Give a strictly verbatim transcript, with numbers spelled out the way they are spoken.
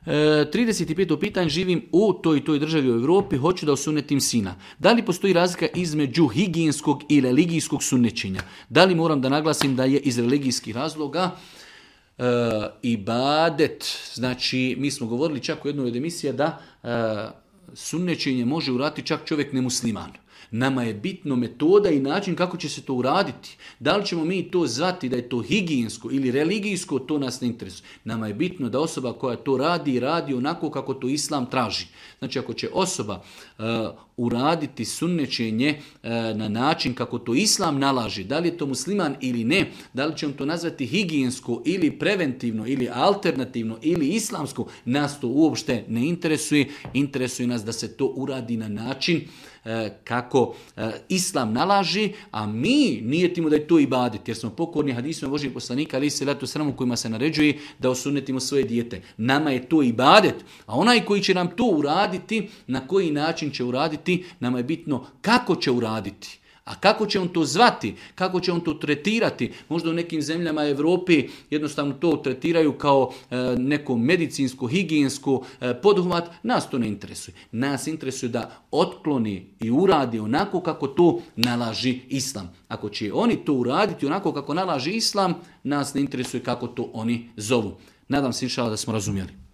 E, trideset peto pitanje, živim u toj i toj državi u Europi, hoću da osunetim sina. Da li postoji razlika između higijenskog i religijskog sunnećenja? Da li moram da naglasim da je iz religijskih razloga e, ibadet, znači mi smo govorili čak u jednoj od emisija da e, sunnećenje može uraditi čak čovjek nemusliman. Nama je bitno metoda i način kako će se to uraditi. Da li ćemo mi to zvati da je to higijensko ili religijsko, to nas ne interesuje. Nama je bitno da osoba koja to radi, radi onako kako to Islam traži. Znači ako će osoba uh, uraditi sunnećenje uh, na način kako to Islam nalaži, da li je to musliman ili ne, da li ćemo to nazvati higijensko ili preventivno ili alternativno ili islamsko, nas to uopšte ne interesuje. Interesuje nas da se to uradi na način kako Islam nalaži, a mi nijetimo da je to ibadet, jer smo pokorni hadisima Božijeg poslanika, ali se letu sramu kojima se naređuje da osunetimo svoje dijete. Nama je to ibadet, a onaj koji će nam to uraditi, na koji način će uraditi, nama je bitno kako će uraditi. A kako će on to zvati, kako će on to tretirati? Možda u nekim zemljama Europi jednostavno to tretiraju kao e, neko medicinsko, higijensko e, poduhvat. Nas to ne interesuje. Nas interesuje da otkloni i uradi onako kako to nalaži Islam. Ako će oni to uraditi onako kako nalaži Islam, nas ne interesuje kako to oni zovu. Nadam se inšallah da smo razumjeli.